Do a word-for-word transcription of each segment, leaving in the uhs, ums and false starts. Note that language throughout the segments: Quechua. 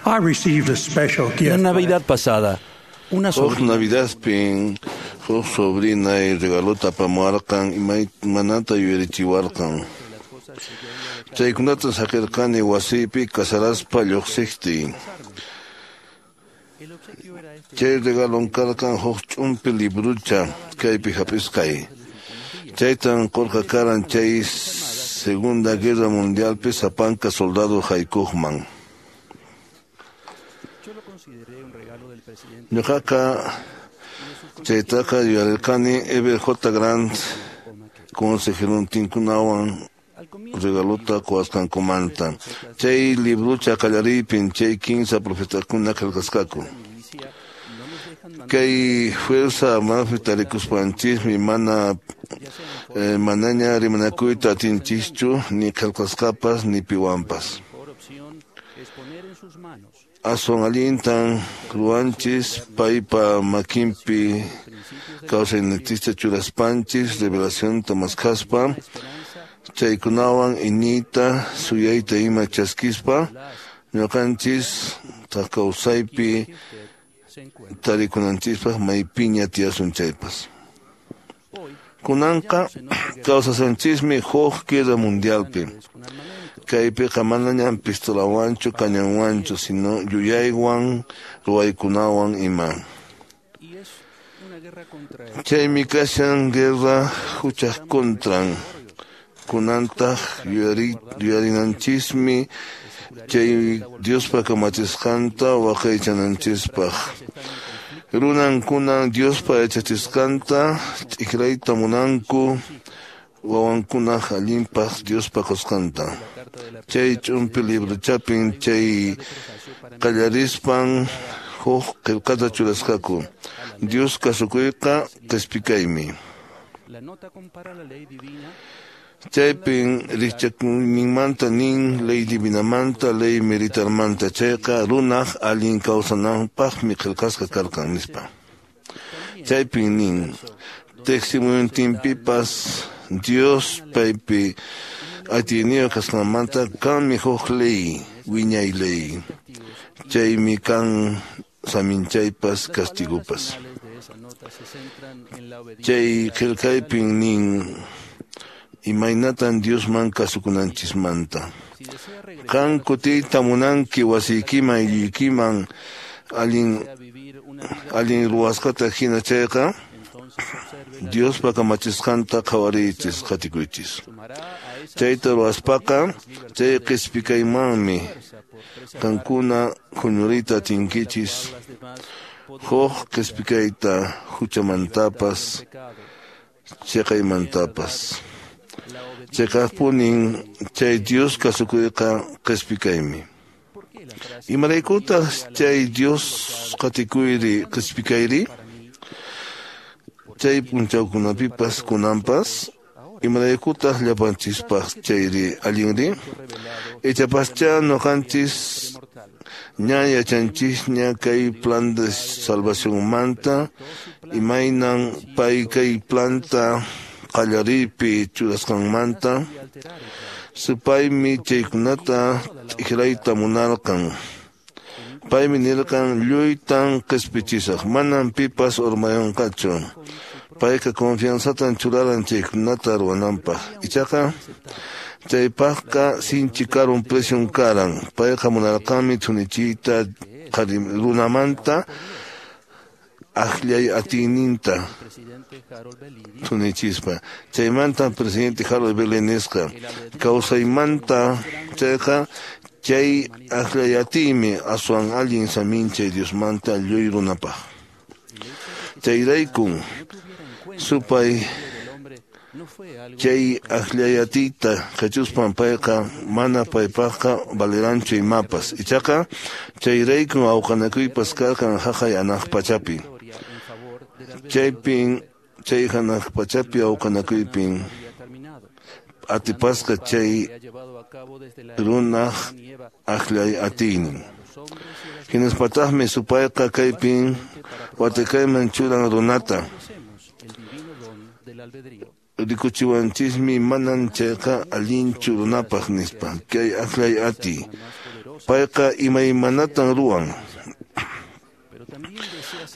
I received a special La gift. Navidad pasada, una Huk sobrina Navidadpin huk sobrinay regalota apamuwarqan imaymanata yuyarichiwarqan. Chaykunata saqirqani wasiypi casaraspa lluqsiqtiy. Chay regalon karqan huk ch'umpi librucha kaypi hap'isqay. Chaytan qurqa karan chay Segunda Guerra Mundialpi sapanka soldado haykuqman. Ñuqaqa chaytaqa yuyarirqani Heber J. Grant consejerontinkunawan regalota quwasqankumanta. Chay librucha qallariypin chay kinsa profetakuna qillqasqaku. Kay fuerza armadapi tarikuspanchismi mana eh, manaña rimanakuyta atinchischu ni qillqasqapas ni piwanpas. Aswan allintan ruwanchis paypa makinpi kawsayninchista churaspanchis revelacionta maskhaspa chaykunawan iñiyta suyayta ima chaskispa ñuqanchis kawsaypi tarikunanchispaq maypiña tiyasun chaypas. Kunanqa kawsasanchismi huk guerra mundialpi. Kaypiqa manañam pistolawanchu cañanwanchu sino yuyaywan ruwaykunawan ima. Chaymi kashan guerra huchaq contran. Kunantaq yuyari yuyarinanchismi chay Diospa kamachisqanta waqaychananchispaq. Runankunan Diospa yachachisqanta t'ikrayta munanku wawankunaq allinpaq Diospa qusqanta. Chay ch'umpi libruchapin chay qallarispan huk qillqata churasqaku. Dios kasukuyqa qispikaymi. Chaypin rikchakuyninmanta nin ley divinamanta ley militarmanta chayqa runaq allin kawsananpaqmi qillqasqa karqan nispa. Chaypin nin teqsimuyuntinpipas Dios paypi atiyniyuq kasqanmanta kanmi huk ley wiñay ley. Chaymi kan saminchaypas castigupas. Chay qillqaypin nin imaynatan Diosman kasukunanchismanta. Qan kutiyta munanki wasiykiman aylluykiman allin allin ruwasqata hina chayqa Diospa kamachisqanta qhawariychis qatikuychis. Chayta ruwaspaqa chay qispikaymanmi qankuna huñuriyta atinkichis huk qispikayta huchamantapas chiqaymantapas. Chiqaqpunin chay Dios kasukuyqa qispikaymi. Imaraykutaq chay Dios qatikuyri qispikayri? Chay p'unchawkunapipas kunanpas imaraykutaq llapanchispaq chayri allinri? Ichapascha ñuqanchis ña yachanchisña kay plan de salvacionmanta imaynan pay kay planta qallariypi churasqanmanta supaymi chaykunata t'ikrayta munarqan. Paymi nirqan lluytan qispichisaq manam pipas urmayanqachu. Payqa confianzatan churaran chaykunata ruwananpaq. Ichaqa chaypaqqa sinchi karun precion karan. Payqa munarqanmi thunichiyta runamanta akllay atiyninta thunichispa. Chaymanta presidente Harold B. Lee nisqa kawsaymanta chayqa chay akllay atiymi aswan allin saminchay Diosmanta lluy runapaq. Chayraykun supay chay akllay atiyta qhichuspan payqa mana paypaqqa valiranchu imapas. Ichaqa chayraykun awqanakuypas karqan haqay hanaq pachapi. Chaypin chay hanaq pachapi awqanakuypin atipasqa chay runaq akllay atiynin. Hinaspataqmi supayqa kaypin watakayman churan runata. Rikuchiwanchismi manan chayqa allinchu runapaq nispa. Kay akllay atiy. Payqa imaymanatan ruwan.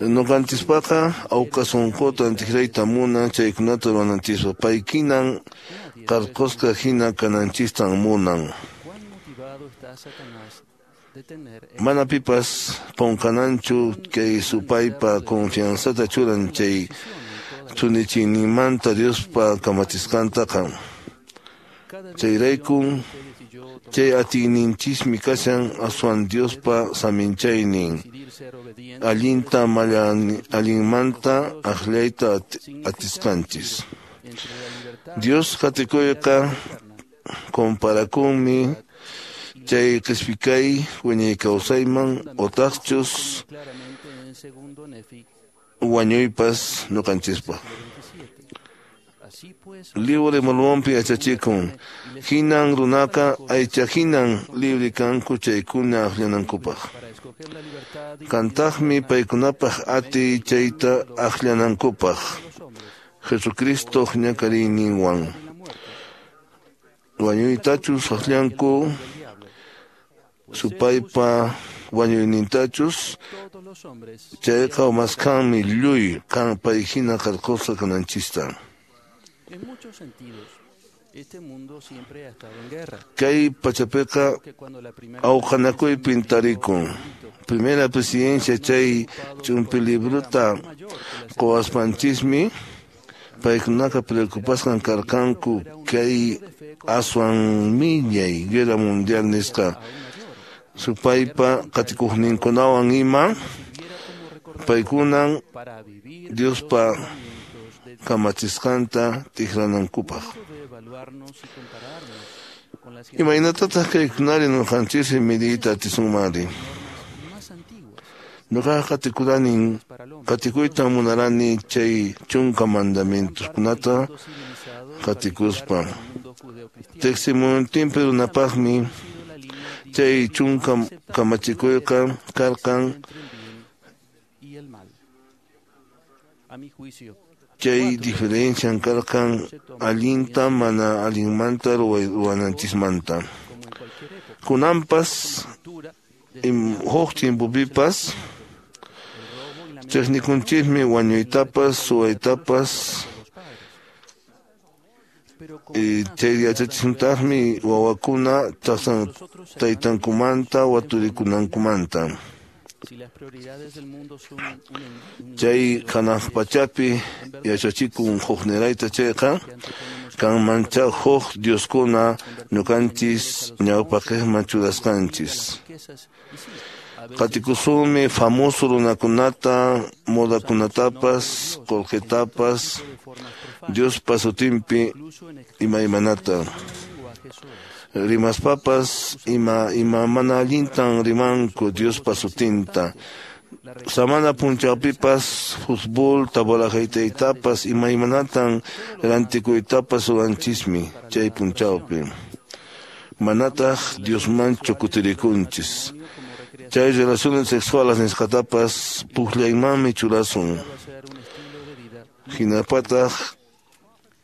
Ñuqanchispaqa awqa sunqutan tikrayta munan chaykunata ruwananchispaq. Paykinan qarqusqa hina kananchistan munan. Mana pipas qunqananchu kay supaypa confianzata churan chay thunichiyninmanta Diospa kamachisqantaqa. Chayraykun chay atiyninchismi kashan aswan Diospa saminchaynin allinta allinmanta aqllayta atisqanchis. Dios qatikuyqa comparakunmi chay qhispikay wiñay kawsayman otaqchus wañuypas ñuqanchispaq. Libro de Mormonpi yachachikun hinan runaqa aycha hinan libre kanku chaykuna akllanankupaq. Kantaqmi paykunapaq atiy chayta akllanankupaq Jesucristo ñakariyninwan. Wañuytachus akllanku supaypa wañuynintachus chayqa umaskanmi lluy kan pay hina qarqusqa kananchista. Kay pachapiqa awqanakuypin tarikun. Primera presidencia chay ch'umpi libruta quwaspanchismi paykunaqa preocupasqan karqanku kay aswan millay guerra mundial nisqa supaypa qatikuqninkunawan ima paykunan Diospa kamachisqanta tikranankupaq. Imaynatataq kaykunari ñuqanchisri midiyta atisunmanri? Ñuqaqa qatikuranin qatikuytan munarani chay chunka mandamientoskunata qatikuspa. Teqsimuyuntinpi runapaqmi chay chunka kamachikuyqa karqan chay diferencian karqan allinta mana allinmanta ruwananchismanta. Kunanpas huk timpupipas chiqnikunchismi wañuytapas suwaytapas chay yachachisuntaqmi wawakuna taytankumanta waturikunankumanta. Chay hanaq pachapi yachachikun huknirayta chayqa kanmancha huk dioskuna ñuqanchis ñawpaqiqman churasqanchis. Qatikusunmi famoso runakunata, modakunatapas, qullqitapas, Diospa sutinpi imaymanata. Rimaspapas ima ima mana allintan rimanku Diospa sutinta. Samana punchawpipas fútbol tabolajaytaytapas imaymanatan rantikuytapas ruwanchismi chay punchawpi. Manataq Diosmanchu kutirikunchis. Chay relaciones sexuales nisqatapas pukllaymanmi churasun. Hinapataq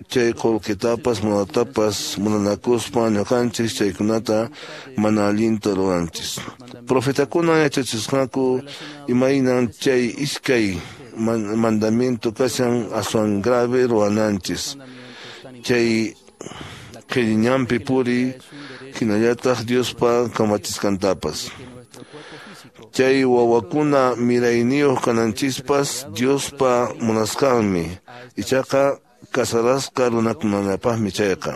chay qullqitapas munatapas munanakuspa ñuqanchis chaykunata mana allinta ruwanchis. Profetakuna yachachisqanku imaynan chay iskay mandamiento kashan aswan grave ruwananchis. Chay qhilliñanpi puri hinallataq Diospa kamachisqantapas. Chay wawakuna mirayniyuq kananchispas Diospa munasqanmi. Ichaqa kasarasqa runakunallapaqmi chayqa.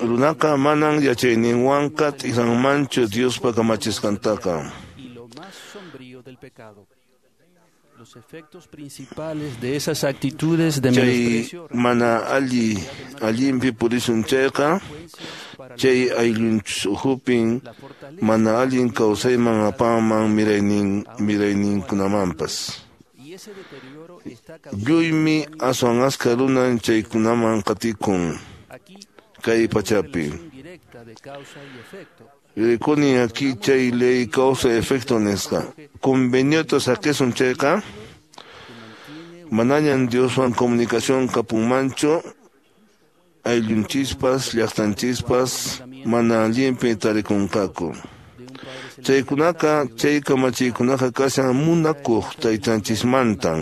Runaqa manan yachayninwanqa t'ikranmanchu Diospa kamachisqantaqa. Chay mana alli allinpi purisun chayqa chay ayllunchis ukhupin mana allin kawsayman apanman miraynin mirayninkunamanpas. Lluymi aswan askha runan chaykunaman qatikun kay pachapi. Rikuni aquí chay ley causa efecto nisqa. Conveniota saqisun chayqa manañan Dioswan comunicación kapunmanchu Ayllunchispas, llaqtanchispas mana allinpi tarikunqaku. Chaykunaqa, chay kamachiykunaqa kashan munakuq taytanchismantan.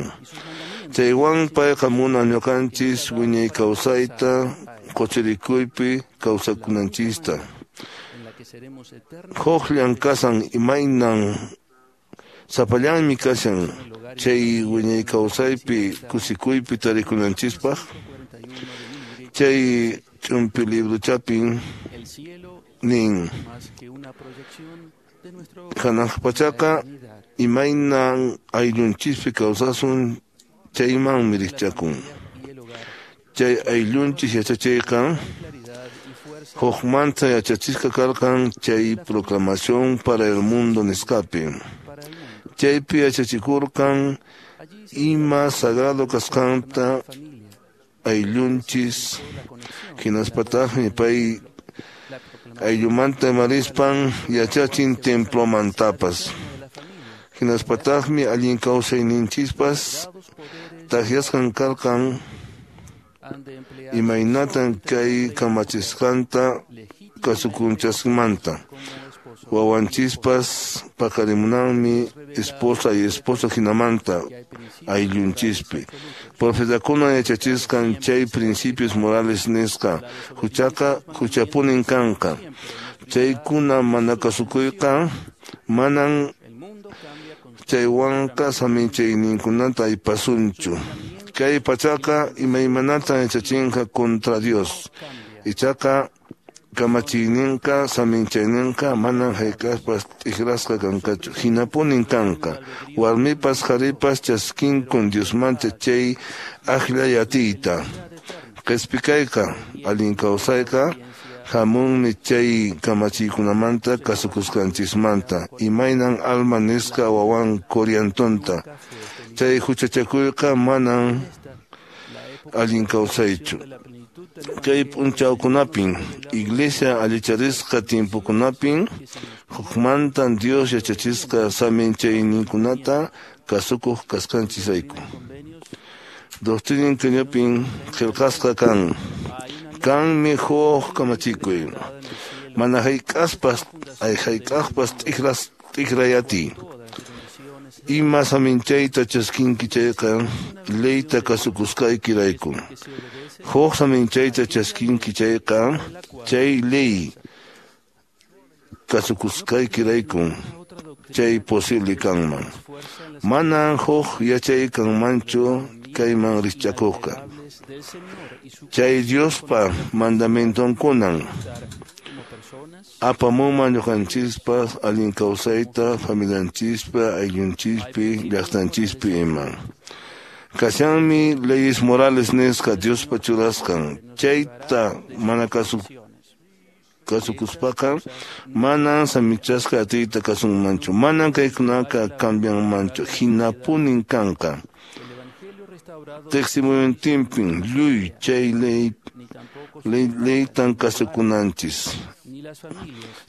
Chaywan payqa munan ñuqanchis wiñay kawsayta quchirikuypi kawsakunanchista. Huqllan kasan imaynan sapallanmi kashan chay wiñay kawsaypi kusikuypi tarikunanchispaq. Chay ch'umpi librochapin nin hanaq pachaqa imaynan ayllunchispi kawsasun chaymanmi rikchakun. Chay ayllunchis yachachiyqa hukmanta yachachisqa karqan chay proclamación para el mundo nisqapi. Chaypi yachachikurqan ima sagrado kasqanta ayllunchis hinaspataqmi pay ayllumanta imarispan yachachin templomantapas. Hinaspataqmi allin kawsayninchispas takyasqan karqan imaynatan kay kamachisqanta kasukunchasmanta. Wawanchispas paqarimunanmi esposa y esposo hinamanta ayllunchispi. Profetakuna yachachisqan chay principios morales nisqa huchaqa huchapunin kanqa. Chaykuna mana kasukuyqa manan chaywanqa saminchayninkunata aypasunchu. Kay pachaqa imaymanata yachachinqa contra Dios. Ichaqa kamachiyninqa saminchayninqa manan hayk'aqpas t'ikrasqa kanqachu. Hinapunin kanqa. Warmipas qharipas chaskinkun Diosmanta chay akllay atiyta. Qhispikayqa allin kawsayqa hamunmi chay kamachiykunamanta kasukusqanchismanta. Imaynan alma nisqa wawan Coriantonta. Chay huchachakuyqa manan allin kawsaychu. Kay p'unchawkunapin iglesia allicharisqa tiempokunapin hukmantan Dios yachachisqa saminchayninkunata kasukuq kasqanchisrayku. Doctrina qillqapin qillqasqa kan. Kanmi huk kamachikuy. Mana hayk'aspas ay hayk'aqpas t'ikras t'ikrayati. Ima saminchayta chaskinki chayqa leyta kasukusqaykirayku. Huk saminchayta chaskinki chayqa chay ley kasukusqaykirayku chay posible kanman. Manan huk yachay kanmanchu kayman rikchakuqqa. Chay Diospa mandamientonkunan apamunman ñuqanchispas allin kawsayta familianchispa ayllunchispi llaqtanchispi ima. Kashanmi leyes morales nisqa Diospa churasqan. Chayta mana kasu kasukuspaqa manan samichasqa atiyta kasunmanchu. Manan kaykunaqa cambianmanchu. Hinapunin kanqa. Teqsimuyuntinpin lluy chay ley ley leytan kasukunanchis.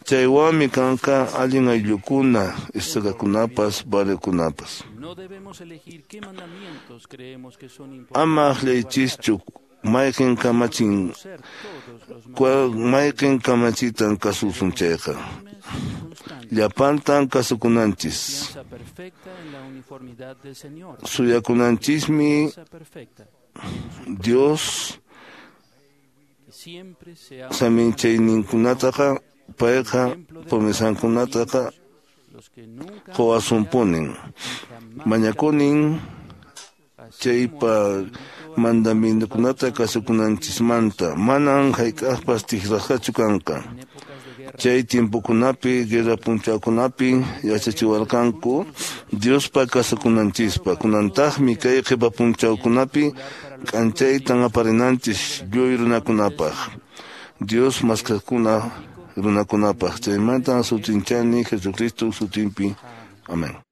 Chaywanmi kanqa allin ayllukuna, estakakunapas, barriokunapas. Ama akllaychischu mayqin kamachin mayqin kamachitan kasusun chayqa. Llapantan kasukunanchis. Suyakunanchismi Dios saminchayninkunataqa payqa promesankunataqa quwasunpunin. Mañakunin chaypa mandamientokunata kasukunanchismanta. Manan hayk'aqpas tikrasqachu kanqa. Chay tiempokunapi, guerra p'unchawkunapi yachachiwarqanku Diospa kasukunanchispa. Kunantaqmi kay qhipa p'unchawkunapi k'anchaytan aparinanchis lluy runakunapaq. Dios maskaqkuna runakunapaq. Chaymantan sutinchani Jesucristo sutinpi. Amén.